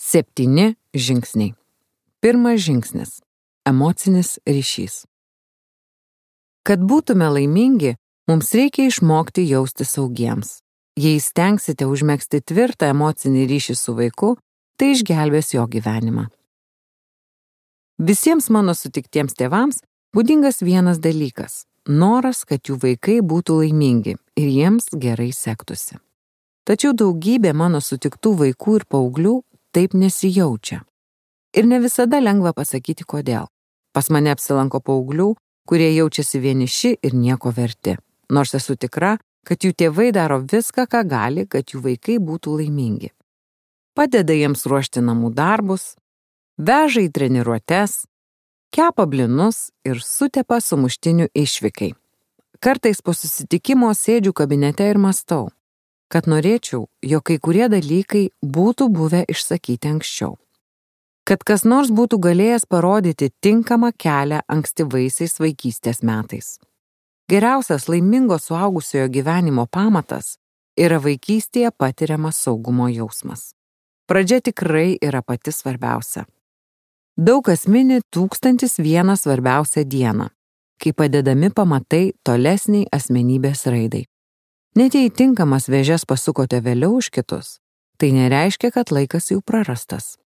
7 žingsniai. Pirmas žingsnis – emocinis ryšys. Kad būtume laimingi, mums reikia išmokti jausti saugiems. Jei stengsite užmegzti tvirtą emocinį ryšį su vaiku, tai išgelbės jo gyvenimą. Visiems mano sutiktiems tėvams būdingas vienas dalykas – noras, kad jų vaikai būtų laimingi ir jiems gerai sektųsi. Tačiau daugybė mano sutiktų vaikų ir paauglių taip nesijaučia. Ir ne visada lengva pasakyti kodėl. Pas mane apsilanko paauglių, kurie jaučiasi vieniši ir nieko verti. Nors esu tikra, kad jų tėvai daro viską, ką gali, kad jų vaikai būtų laimingi. Padeda jiems ruošti namų darbus, veža į treniruotes, kepa blinus ir sutepa sumuštinių išvykai. Kartais po susitikimo sėdžiu kabinete ir mąstau, kad norėčiau, jog kai kurie dalykai būtų buvę išsakyti anksčiau. Kad kas nors būtų galėjęs parodyti tinkamą kelią ankstyvaisiais vaikystės metais. Geriausias laimingo suaugusiojo gyvenimo pamatas yra vaikystėje patiriamas saugumo jausmas. Pradžia tikrai yra pati svarbiausia. Daug kas mini 1001 svarbiausią dieną, kai padedami pamatai tolesniai asmenybės raidai. Net jei tinkamas vėžes pasukote vėliau už kitus, tai nereiškia, kad laikas jau prarastas.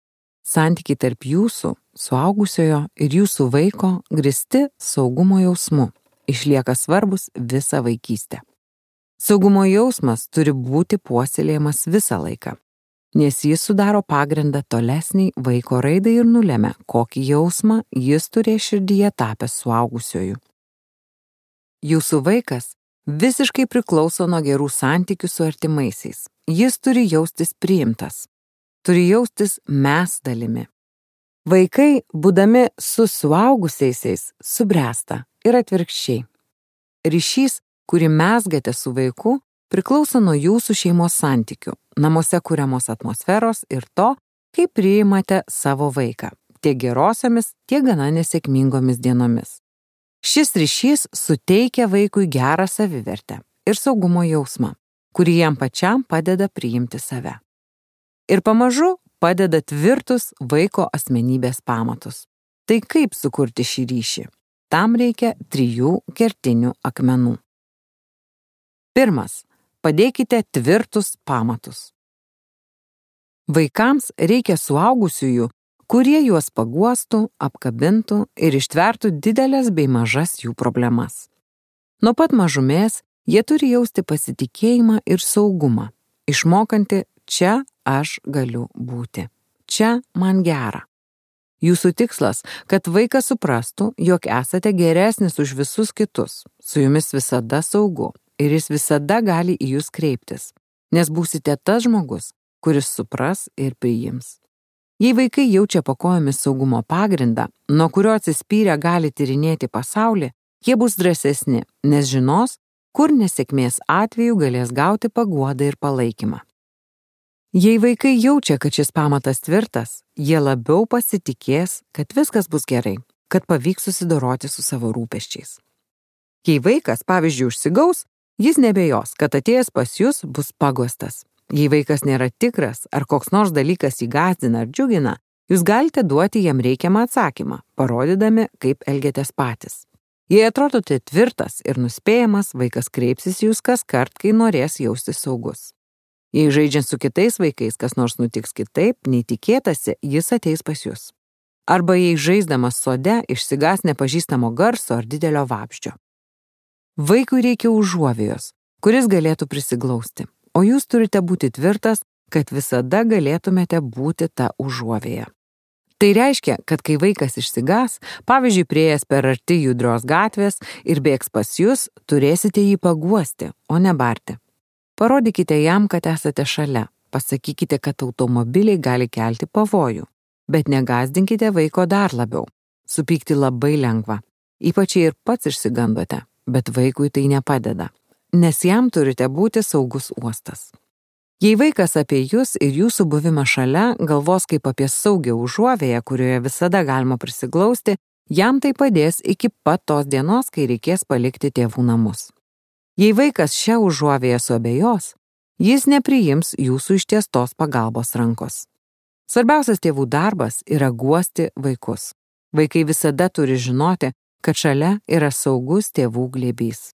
Santykiai tarp jūsų, suaugusiojo ir jūsų vaiko grįsti saugumo jausmu išlieka svarbus visą vaikystę. Saugumo jausmas turi būti puoselėjamas visą laiką, nes jis sudaro pagrindą tolesniai vaiko raidai ir nulemia, kokį jausmą jis turės širdyje tapęs suaugusioju. Jūsų vaikas visiškai priklauso nuo gerų santykių su artimaisiais. Jis turi jaustis priimtas. Turi jaustis mes dalimi. Vaikai, būdami su suaugusiaisiais, subręsta ir atvirkščiai. Ryšys, kurį mezgate su vaiku, priklauso nuo jūsų šeimos santykių, namuose kuriamos atmosferos ir to, kaip priimate savo vaiką, tiek gerosiomis, tiek gana nesėkmingomis dienomis. Šis ryšys suteikia vaikui gerą savivertę ir saugumo jausmą, kurį jam pačiam padeda priimti save. Ir pamažu padeda tvirtus vaiko asmenybės pamatus. Tai kaip sukurti šį ryšį? Tam reikia 3 kertinių akmenų. Pirmas. Padėkite tvirtus pamatus. Vaikams reikia suaugusiųjų, kurie juos paguostų, apkabintų ir ištvertų didelės bei mažas jų problemas. Nuo pat mažumės jie turi jausti pasitikėjimą ir saugumą, išmokanti čia aš galiu būti. Čia man gera. Jūsų tikslas, kad vaikas suprastų, jog esate geresnis už visus kitus, su jumis visada saugu ir jis visada gali į jūs kreiptis, nes būsite tas žmogus, kuris supras ir priims. Jei vaikai jaučia po kojomis saugumo pagrindą, nuo kurio atsispyrę gali tyrinėti pasaulį, jie bus drąsesni, nes žinos, kur nesėkmės atveju galės gauti paguodą ir palaikymą. Jei vaikai jaučia, kad šis pamatas tvirtas, jie labiau pasitikės, kad viskas bus gerai, kad pavyks susidoroti su savo rūpesčiais. Jei vaikas, pavyzdžiui, užsigaus, jis nebejos, kad atėjęs pas jūs bus paguostas. Jei vaikas nėra tikras, ar koks nors dalykas jį gąsdina ar džiugina, jūs galite duoti jam reikiamą atsakymą, parodydami, kaip elgiatės patys. Jei atrodote tvirtas ir nuspėjamas, vaikas kreipsis jūs kaskart, kai norės jaustis saugus. Jei žaidžiant su kitais vaikais kas nors nutiks kitaip, nei tikėtasi, jis ateis pas jūs. Arba jei žaisdamas sode išsigas nepažįstamo garso ar didelio vabzdžio. Vaikui reikia užuovėjos, kuris galėtų prisiglausti, o jūs turite būti tvirtas, kad visada galėtumėte būti ta užuovėja. Tai reiškia, kad kai vaikas išsigas, pavyzdžiui, priėjęs per arti judrios gatvės ir bėgs pas jūs, turėsite jį paguosti, o ne barti. Parodykite jam, kad esate šalia, pasakykite, kad automobiliai gali kelti pavojų, bet negąsdinkite vaiko dar labiau. Supykti labai lengva, ypač jei ir pats išsigandote, bet vaikui tai nepadeda, nes jam turite būti saugus uostas. Jei vaikas apie jūs ir jūsų buvimą šalia galvos kaip apie saugią užuovėją, kurioje visada galima prisiglausti, jam tai padės iki pat tos dienos, kai reikės palikti tėvų namus. Jei vaikas šią užuovėją suabejos, jis nepriims jūsų ištiestos pagalbos rankos. Svarbiausias tėvų darbas yra guosti vaikus. Vaikai visada turi žinoti, kad šalia yra saugus tėvų glėbys.